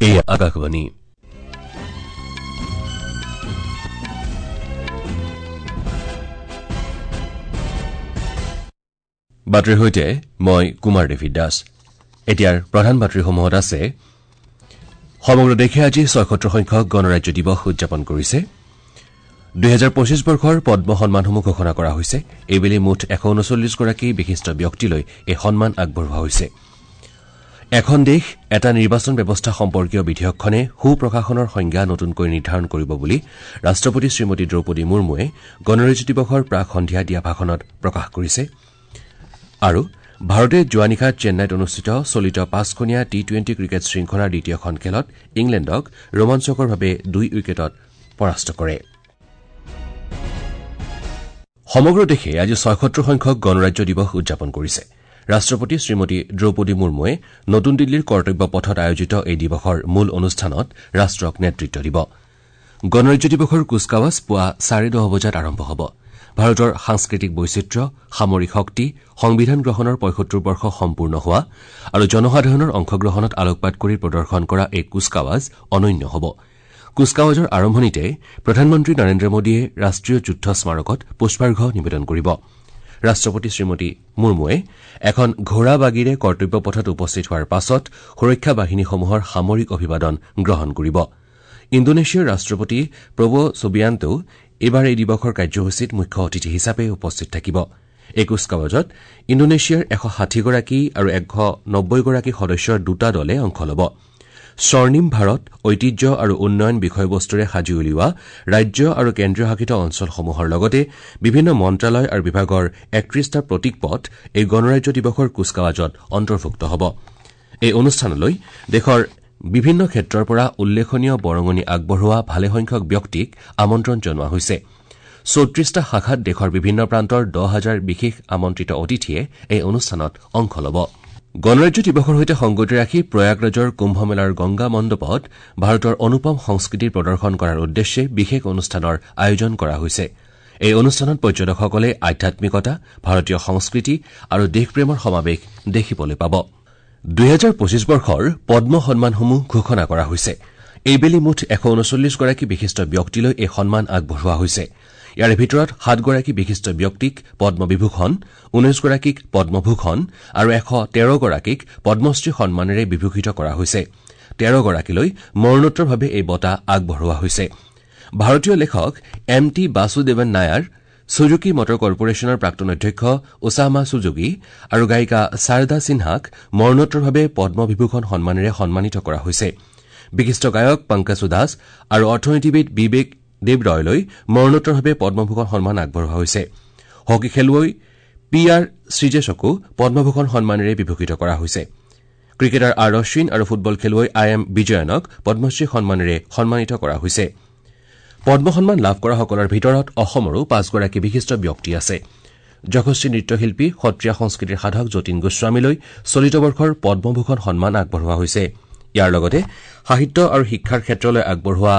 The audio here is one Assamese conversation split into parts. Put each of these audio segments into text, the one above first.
এয়া আকাশবাণী। বাতৰিৰ সৈতে মই কুমাৰ ডেভিড দাস। এতিয়াৰ প্ৰধান বাতৰিসমূহত আছে: সমগ্ৰ দেশে আজি ৭৬ সংখ্যক গণৰাজ্য দিৱস উদযাপন কৰিছে। ২০২৫ বৰ্ষৰ পদ্ম সন্মানসমূহ ঘোষণা কৰা হৈছে। এইবেলি মুঠ ১৩৯গৰাকী বিশিষ্ট ব্যক্তিলৈ এই সন্মান আগবঢ়োৱা হৈছে। এখন দেশ এটা নিৰ্বাচন ব্যৱস্থা সম্পৰ্কীয় বিধেয়কখনে সুপ্ৰশাসনৰ সংজ্ঞা নতুনকৈ নিৰ্ধাৰণ কৰিব বুলি ৰাষ্ট্ৰপতি শ্ৰীমতী দ্ৰৌপদী মুৰ্মুৱে গণৰাজ্য দিৱসৰ প্ৰাক সন্ধিয়া দিয়া ভাষণত প্ৰকাশ কৰিছে। আৰু ভাৰতে যোৱা নিশা চেন্নাইত অনুষ্ঠিত চলিত পাঁচখনীয়া টি-টুৱেণ্টি ক্ৰিকেট শৃংখলাৰ দ্বিতীয়খন খেলত ইংলেণ্ডক ৰোমাঞ্চকৰভাৱে ২ উইকেটত পৰাস্ত কৰে। সমগ্ৰ দেশে আজি ৭৬ সংখ্যক গণৰাজ্য দিৱস উদযাপন কৰিছে। ৰাষ্ট্ৰপতি শ্ৰীমতী দ্ৰৌপদী মুৰ্মুৱে নতুন দিল্লীৰ কৰ্তব্য পথত আয়োজিত এই দিৱসৰ মূল অনুষ্ঠানত ৰাষ্ট্ৰক নেতৃত্ব দিব। গণৰাজ্য দিৱসৰ কুচকাৱাজ পুৱা ১০:৩০ বজাত আৰম্ভ হ'ব। ভাৰতৰ সাংস্কৃতিক বৈচিত্ৰ্য, সামৰিক শক্তি, সংবিধান গ্ৰহণৰ ৭৫ বৰ্ষ সম্পূৰ্ণ হোৱা আৰু জনসাধাৰণৰ অংশগ্ৰহণত আলোকপাত কৰি প্ৰদৰ্শন কৰা এই কুচকাৱাজ অনন্য হ'ব। কুচকাৱাজৰ আৰম্ভণিতে প্ৰধানমন্ত্ৰী নৰেন্দ্ৰ মোদীয়ে ৰাষ্ট্ৰীয় যুদ্ধ স্মাৰকত পুষ্পাৰ্ঘ নিবেদন কৰিব। ৰাষ্ট্ৰপতি শ্ৰীমতী মুৰ্মুৱে এখন ঘোঁৰা বাগীৰে কৰ্তব্য পথত উপস্থিত হোৱাৰ পাছত সুৰক্ষা বাহিনীসমূহৰ সামৰিক অভিবাদন গ্ৰহণ কৰিব। ইণ্ডোনেছিয়াৰ ৰাষ্ট্ৰপতি প্ৰবো ছুবিয়ান্তো এইবাৰ এই দিৱসৰ কাৰ্যসূচীত মুখ্য অতিথি হিচাপে উপস্থিত থাকিব। এই কুচকাৱাজত ইণ্ডোনেছিয়াৰ ১৬০গৰাকী আৰু ১৯০গৰাকী সদস্যৰ দুটা দলে অংশ ল'ব। স্বৰ্ণিম ভাৰত, ঐতিহ্য আৰু উন্নয়ন বিষয়বস্তুৰে সাজি উলিওৱা ৰাজ্য আৰু কেন্দ্ৰীয় শাসিত অঞ্চলসমূহৰ লগতে বিভিন্ন মন্ত্ৰালয় আৰু বিভাগৰ ৩১টা প্ৰতীকপট এই গণৰাজ্য দিৱসৰ কুচকাৱাজত অন্তৰ্ভুক্ত হ'ব। এই অনুষ্ঠানলৈ দেশৰ বিভিন্ন ক্ষেত্ৰৰ পৰা উল্লেখনীয় বৰঙণি আগবঢ়োৱা ভালেসংখ্যক ব্যক্তিক আমন্ত্ৰণ জনোৱা হৈছে। ৩৪টা শাখাত দেশৰ বিভিন্ন প্ৰান্তৰ ১০ হাজাৰ বিশেষ আমন্ত্ৰিত অতিথিয়ে এই অনুষ্ঠানত অংশ ল'ব। গণৰাজ্য দিৱসৰ সৈতে সংগতি ৰাখি প্ৰয়াগৰাজৰ কুম্ভমেলাৰ গংগা মণ্ডপত ভাৰতৰ অনুপম সংস্কৃতিৰ প্ৰদৰ্শন কৰাৰ উদ্দেশ্যে বিশেষ অনুষ্ঠানৰ আয়োজন কৰা হৈছে। এই অনুষ্ঠানত পৰ্যটকসকলে আধ্যাত্মিকতা, ভাৰতীয় সংস্কৃতি আৰু দেশপ্ৰেমৰ সমাৱেশ দেখিবলৈ পাব। ২০২৫ বৰ্ষৰ পদ্ম সন্মানসমূহ ঘোষণা কৰা হৈছে। এইবেলি মুঠ ১৩৯গৰাকী বিশিষ্ট ব্যক্তিলৈ এই সন্মান আগবঢ়োৱা হৈছে। ইয়াৰে ভিতৰত ৭গৰাকী বিশিষ্ট ব্যক্তিক পদ্মবিভূষণ, ১৯গৰাকীক পদ্মভূষণ আৰু ১১৩গৰাকীক পদ্মশ্ৰী সন্মানেৰে বিভূষিত কৰা হৈছে। ১৩গৰাকীলৈ মৰণোত্তৰভাৱে এই বঁটা আগবঢ়োৱা হৈছে। ভাৰতীয় লেখক M T Vasudevan Nair, Suzuki motor কৰ্পৰেশ্যনৰ প্ৰাক্তন অধ্যক্ষ ওছামা ছুজুকি আৰু গায়িকা শাৰদা সিনহাক মৰণোত্তৰভাৱে পদ্মবিভূষণ সন্মানেৰে সন্মানিত কৰা হৈছে। বিশিষ্ট গায়ক পংকজ উদাস আৰু অৰ্থনীতিবিদ বিবেক দেৱৰয়লৈ মৰণোত্তৰভাৱে পদ্মভূষণ সন্মান আগবঢ়োৱা হৈছে। হকী খেলুৱৈ পি আৰ শ্ৰীজেশকো পদ্মভূষণ সন্মানেৰে বিভূষিত কৰা হৈছে। ক্ৰিকেটাৰ আৰ অশ্বিন আৰু ফুটবল খেলুৱৈ I am বিজয়নক পদ্মশ্ৰী সন্মানেৰে সন্মানিত কৰা হৈছে। পদ্ম সন্মান লাভ কৰাসকলৰ ভিতৰত অসমৰো ৫গৰাকী বিশিষ্ট ব্যক্তি আছে। যশস্বী নৃত্যশিল্পী, সত্ৰীয়া সংস্কৃতিৰ সাধক যতীন গোস্বামীলৈ চলিত বৰ্ষৰ পদ্মভূষণ সন্মান আগবঢ়োৱা হৈছে। ইয়াৰ লগতে সাহিত্য আৰু শিক্ষাৰ ক্ষেত্ৰলৈ আগবঢ়োৱা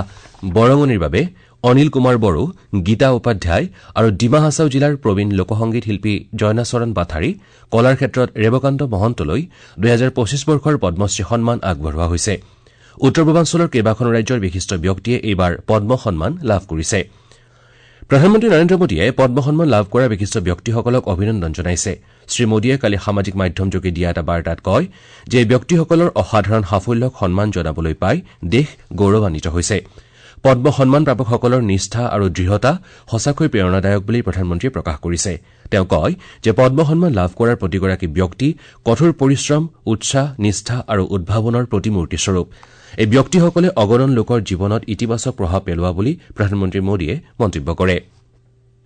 বৰঙণিৰ বাবে অনিল কুমাৰ বড়ো, গীতা উপাধ্যায় আৰু ডিমা হাছাও জিলাৰ প্ৰবীণ লোকসংগীত শিল্পী জয়নাচৰণ বাথাৰী, কলাৰ ক্ষেত্ৰত ৰেৱকান্ত মহন্তলৈ ২০২৫ বৰ্ষৰ পদ্মশ্ৰী সন্মান আগবঢ়োৱা হৈছে। উত্তৰ পূৰ্বাঞ্চলৰ কেইবাখনো ৰাজ্যৰ বিশিষ্ট ব্যক্তিয়ে এইবাৰ পদ্ম সন্মান লাভ কৰিছে। প্ৰধানমন্ত্ৰী নৰেন্দ্ৰ মোদীয়ে পদ্ম সন্মান লাভ কৰা বিশিষ্ট ব্যক্তিসকলক অভিনন্দন জনাইছে। শ্ৰীমোদীয়ে কালি সামাজিক মাধ্যমযোগে দিয়া এটা বাৰ্তাত কয় যে এই ব্যক্তিসকলৰ অসাধাৰণ সাফল্যক সন্মান জনাবলৈ পাই দেশ গৌৰৱান্বিত হৈছে। পদ্ম সন্মান প্ৰাপকসকলৰ নিষ্ঠা আৰু দৃঢ়তা সঁচাকৈ প্ৰেৰণাদায়ক বুলি প্ৰধানমন্ত্ৰীয়ে প্ৰকাশ কৰিছে। তেওঁ কয় যে পদ্ম সন্মান লাভ কৰাৰ প্ৰতিগৰাকী ব্যক্তি কঠোৰ পৰিশ্ৰম, উৎসাহ, নিষ্ঠা আৰু উদ্ভাৱনৰ প্ৰতিমূৰ্তিস্বৰূপ। এই ব্যক্তিসকলে অগণন লোকৰ জীৱনত ইতিবাচক প্ৰভাৱ পেলোৱা বুলি প্ৰধানমন্ত্ৰী মোদীয়ে মন্তব্য কৰে।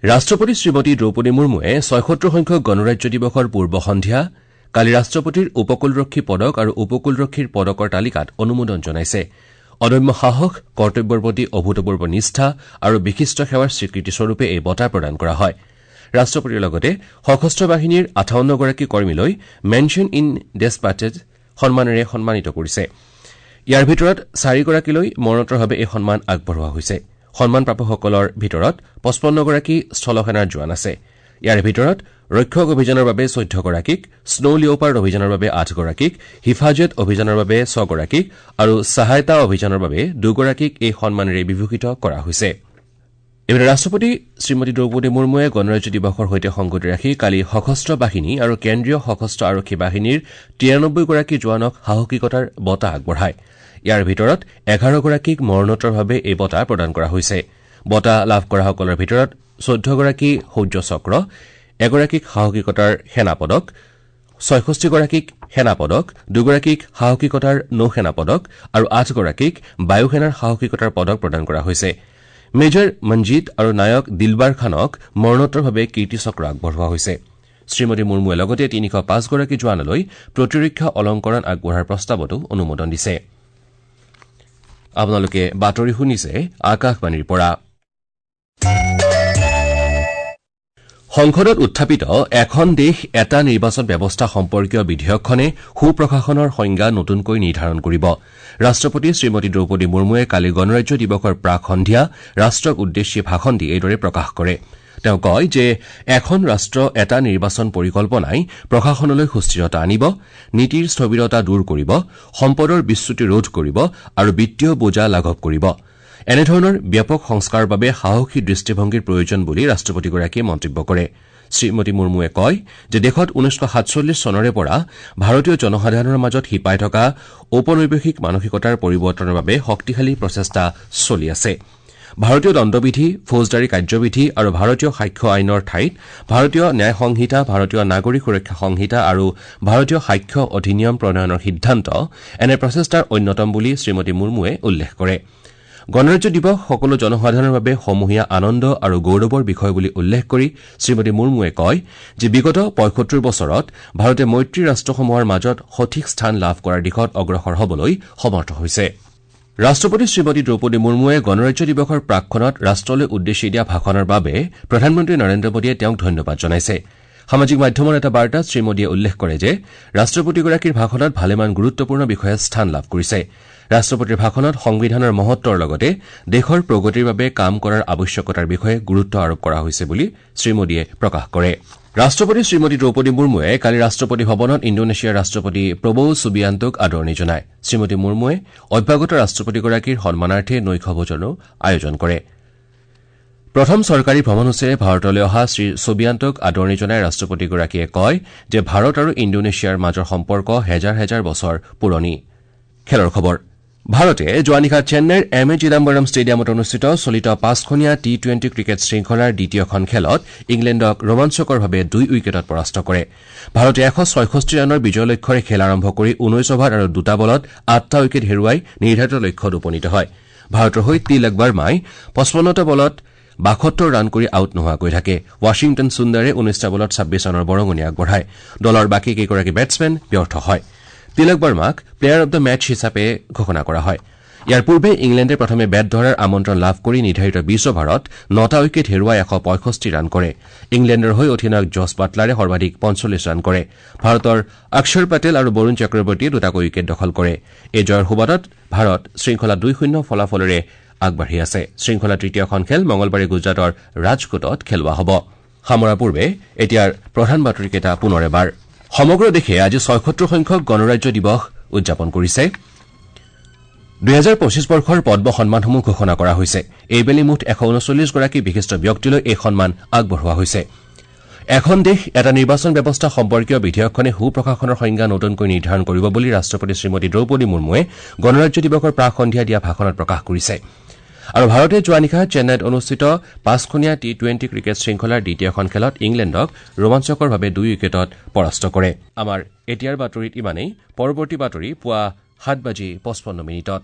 ৰাষ্ট্ৰপতি শ্ৰীমতী দ্ৰৌপদী মুৰ্মুৱে ৭৬ সংখ্যক গণৰাজ্য দিৱসৰ পূৰ্ব সন্ধিয়া কালি ৰাষ্ট্ৰপতিৰ উপকূলৰক্ষী পদক আৰু উপকূলৰক্ষীৰ পদকৰ তালিকাত অনুমোদন জনাইছে। অদম্য সাহস, কৰ্তব্যৰ প্ৰতি অভূতপূৰ্ব নিষ্ঠা আৰু বিশিষ্ট সেৱাৰ স্বীকৃতিস্বৰূপে এই বঁটা প্ৰদান কৰা হয়। ৰাষ্ট্ৰপতিৰ লগতে সশস্ত্ৰ বাহিনীৰ ৫৮গৰাকী কৰ্মীলৈ মেনশ্যন ইন ডেছপাচেছ সন্মানেৰে সন্মানিত কৰিছে। ইয়াৰ ভিতৰত ৪গৰাকীলৈ মৰণোত্তৰভাৱে এই সন্মান আগবঢ়োৱা হৈছে। সন্মান প্ৰাপকসকলৰ ভিতৰত ৫৫গৰাকী স্থলসেনাৰ জোৱান আছে। ইয়াৰে ভিতৰত ৰক্ষক অভিযানৰ বাবে ১৪ গৰাকীক, স্ন' লিঅ'পাৰ্ড অভিযানৰ বাবে ৮ গৰাকীক, হিফাজত অভিযানৰ বাবে ৬ গৰাকীক আৰু ছাহায়তা অভিযানৰ বাবে ২ গৰাকীক এই সন্মানেৰে বিভূষিত কৰা হৈছে। ইপিনে ৰাষ্ট্ৰপতি শ্ৰীমতী দ্ৰৌপদী মুৰ্মুৱে গণৰাজ্য দিৱসৰ সৈতে সংগতি ৰাখি কালি সশস্ত্ৰ বাহিনী আৰু কেন্দ্ৰীয় সশস্ত্ৰ আৰক্ষী বাহিনীৰ ৯৩ গৰাকী জোৱানক সাহসিকতাৰ বঁটা আগবঢ়ায়। ইয়াৰ ভিতৰত ১১ গৰাকীক মৰণোত্তৰভাৱে এই বঁটা প্ৰদান কৰা হৈছে। বঁটা লাভ কৰাসকলৰ ভিতৰত ১৪ গৰাকী শৌৰ্য চক্ৰ, এগৰাকীক সাহসিকতাৰ সেনা পদক, ৬৬ গৰাকীক সেনা পদক, ২ গৰাকীক সাহসিকতাৰ নৌসেনা পদক আৰু ৮ গৰাকীক বায়ুসেনাৰ সাহসিকতাৰ পদক প্ৰদান কৰা হৈছে। মেজৰ মঞ্জিত আৰু নায়ক দিলবাৰ খানক মৰণোত্তৰভাৱে কীৰ্তি চক্ৰ আগবঢ়োৱা হৈছে। শ্ৰীমতী মুৰ্মুৱে লগতে ৩০৫ গৰাকী জোৱানলৈ প্ৰতিৰক্ষা অলংকৰণ আগবঢ়োৱাৰ প্ৰস্তাৱতো অনুমোদন দিছে। আপোনালোকে বাতৰি শুনিছে আকাশবাণীৰ পৰা। সংসদত উত্থাপিত এখন দেশ এটা নিৰ্বাচন ব্যৱস্থা সম্পৰ্কীয় বিধেয়কখনে সুপ্ৰশাসনৰ সংজ্ঞা নতুনকৈ নিৰ্ধাৰণ কৰিব। ৰাষ্ট্ৰপতি শ্ৰীমতী দ্ৰৌপদী মুৰ্মুৱে কালি গণৰাজ্য দিৱসৰ প্ৰাক সন্ধিয়া ৰাষ্ট্ৰক উদ্দেশ্যি ভাষণ দি এইদৰে প্ৰকাশ কৰে। তেওঁ কয় যে এখন ৰাষ্ট্ৰ এটা নিৰ্বাচন পৰিকল্পনাই প্ৰশাসনলৈ সুস্থিৰতা আনিব, নীতিৰ স্থবিৰতা দূৰ কৰিব, সম্পদৰ বিচ্যুতি ৰোধ কৰিব আৰু বিত্তীয় বোজা লাঘৱ কৰিব। এনেধৰণৰ ব্যাপক সংস্কাৰৰ বাবে সাহসী দৃষ্টিভংগীৰ প্ৰয়োজন বুলি ৰাষ্ট্ৰপতিগৰাকীয়ে মন্তব্য কৰে। শ্ৰীমতী মুৰ্মুৱে কয় যে দেশত ১৯৪৭ চনৰে পৰা ভাৰতীয় জনসাধাৰণৰ মাজত শিপাই থকা ঔপনিৱেশিক মানসিকতাৰ পৰিৱৰ্তনৰ বাবে শক্তিশালী প্ৰচেষ্টা চলি আছে। ভাৰতীয় দণ্ডবিধি, ফৌজদাৰী কাৰ্যবিধি আৰু ভাৰতীয় সাক্ষ্য আইনৰ ঠাইত ভাৰতীয় ন্যায় সংহিতা, ভাৰতীয় নাগৰিক সুৰক্ষা সংহিতা আৰু ভাৰতীয় সাক্ষ্য অধিনিয়ম প্ৰণয়নৰ সিদ্ধান্ত এনে প্ৰচেষ্টাৰ অন্যতম বুলি শ্ৰীমতী মুৰ্মুৱে উল্লেখ কৰে। গণৰাজ্য দিৱস সকলো জনসাধাৰণৰ বাবে সমূহীয়া আনন্দ আৰু গৌৰৱৰ বিষয় বুলি উল্লেখ কৰি শ্ৰীমতী মুৰ্মুৱে কয় যে বিগত ৭৫ বছৰত ভাৰতে মৈত্ৰী ৰাষ্ট্ৰসমূহৰ মাজত সঠিক স্থান লাভ কৰাৰ দিশত অগ্ৰসৰ হবলৈ সমৰ্থ হৈছে। ৰাষ্ট্ৰপতি শ্ৰীমতী দ্ৰৌপদী মুৰ্মুৱে গণৰাজ্য দিৱসৰ প্ৰাকক্ষণত ৰাষ্ট্ৰলৈ উদ্দেশ্যি দিয়া ভাষণৰ বাবে প্ৰধানমন্ত্ৰী নৰেন্দ্ৰ মোদীয়ে তেওঁক ধন্যবাদ জনাইছে। সামাজিক মাধ্যমৰ এটা বাৰ্তাত শ্ৰীমোদীয়ে উল্লেখ কৰে যে ৰাষ্ট্ৰপতিগৰাকীৰ ভাষণত ভালেমান গুৰুত্বপূৰ্ণ বিষয়ে স্থান লাভ কৰিছে। ৰাষ্ট্ৰপতিৰ ভাষণত সংবিধানৰ মহত্বৰ লগতে দেশৰ প্ৰগতিৰ বাবে কাম কৰাৰ আৱশ্যকতাৰ বিষয়ে গুৰুত্ব আৰোপ কৰা হৈছে বুলি শ্ৰীমোদীয়ে প্ৰকাশ কৰে। ৰাষ্ট্ৰপতি শ্ৰীমতী দ্ৰৌপদী মুৰ্মুৱে কালি ৰাষ্ট্ৰপতি ভৱনত ইণ্ডোনেছিয়াৰ ৰাষ্ট্ৰপতি প্ৰবৌ ছুবিয়ান্তোক আদৰণি জনায়। শ্ৰীমতী মুৰ্মুৱে অভ্যাগত ৰাষ্ট্ৰপতিগৰাকীৰ সন্মানাৰ্থে নৈশ ভোজনৰো আয়োজন কৰে। প্ৰথম চৰকাৰী ভ্ৰমণসূচীৰে ভাৰতলৈ অহা শ্ৰীছুবিয়ান্তোক আদৰণি জনাই ৰাষ্ট্ৰপতিগৰাকীয়ে কয় যে ভাৰত আৰু ইণ্ডোনেছিয়াৰ মাজৰ সম্পৰ্ক হেজাৰ হেজাৰ বছৰ পুৰণি। খেলৰ খবৰ। ভাৰতে যোৱা নিশা চেন্নাইৰ এম এ চিদাম্বৰম ষ্টেডিয়ামত অনুষ্ঠিত চলিত পাঁচখনীয়া টি টুৱেণ্টি ক্ৰিকেট শৃংখলাৰ দ্বিতীয়খন খেলত ইংলেণ্ডক ৰোমাঞ্চকৰভাৱে ২ উইকেটত পৰাস্ত কৰে। ভাৰতে ১৬৬ ৰানৰ বিজয় লক্ষ্যৰে খেল আৰম্ভ কৰি ১৯ অভাৰ আৰু ২টা বলত ৮টা উইকেট হেৰুৱাই নিৰ্ধাৰিত লক্ষ্যত উপনীত হয়। ভাৰতৰ হৈ তিলক বাৰ্মাই ৫৫টা বলত ৭২ ৰান কৰি আউট নোহোৱাকৈ থাকে। ৱাশ্বিংটন সুন্দৰে ১৯টা বলত ২৬ ৰানৰ বৰঙণি আগবঢ়ায়। দলৰ বাকী কেইগৰাকী বেটছমেন ব্যৰ্থ হয়। তিলক বাৰ্মাক প্লেয়াৰ অব the match হিচাপে ঘোষণা কৰা হয়। ইয়াৰ পূৰ্বে ইংলেণ্ডে প্ৰথমে বেট ধৰাৰ আমন্ত্ৰণ লাভ কৰি নিৰ্ধাৰিত ২০ অভাৰত ৯টা উইকেট হেৰুৱাই ১৬৫ ৰান কৰে। ইংলেণ্ডৰ হৈ অধিনায়ক জছ বাটলাৰে সৰ্বাধিক ৪৫ ৰান কৰে। ভাৰতৰ অক্ষৰ পেটেল আৰু বৰুণ চক্ৰৱৰ্তীয়ে দুটাকৈ উইকেট দখল কৰে। এই জয়ৰ সুবাদত ভাৰত শৃংখলা ২-০ ফলাফলেৰে আগবাঢ়ি আছে। শৃংখলাৰ তৃতীয়খন খেল মঙলবাৰে গুজৰাটৰ ৰাজকোটত খেলোৱা হ'ব। সামৰাৰ পূৰ্বে এতিয়াৰ প্ৰধান বাতৰিকেইটা পুনৰ এবাৰ। সমগ্ৰ দেশে আজি ৭৬ সংখ্যক গণৰাজ্য দিৱস উদযাপন কৰিছে। ২০২৫ বৰ্ষৰ পদ্ম সন্মানসমূহ ঘোষণা কৰা হৈছে। এইবেলি মুঠ ১৩৯ গৰাকী বিশিষ্ট ব্যক্তিলৈ এই সন্মান আগবঢ়োৱা হৈছে। এখন দেশ এটা নিৰ্বাচন ব্যৱস্থা সম্পৰ্কীয় বিধেয়কখনে সুপ্ৰশাসনৰ সংজ্ঞা নতুনকৈ নিৰ্ধাৰণ কৰিব বুলি ৰাষ্ট্ৰপতি শ্ৰীমতী দ্ৰৌপদী মুৰ্মুৱে গণৰাজ্য দিৱসৰ প্ৰাক সন্ধিয়া দিয়া ভাষণত প্ৰকাশ কৰিছে। আৰু ভাৰতে যোৱা নিশা চেন্নাইত অনুষ্ঠিত পাঁচখনীয়া টি টুৱেণ্টি ক্ৰিকেট শৃংখলাৰ দ্বিতীয়খন খেলত ইংলেণ্ডক ৰোমাঞ্চকৰভাৱে ২ উইকেটত পৰাস্ত কৰে। আমাৰ এতিয়াৰ বাতৰিত ইমানেই। পৰৱৰ্তী বাতৰি পুৱা ৭ বাজি ৫৫ মিনিটত।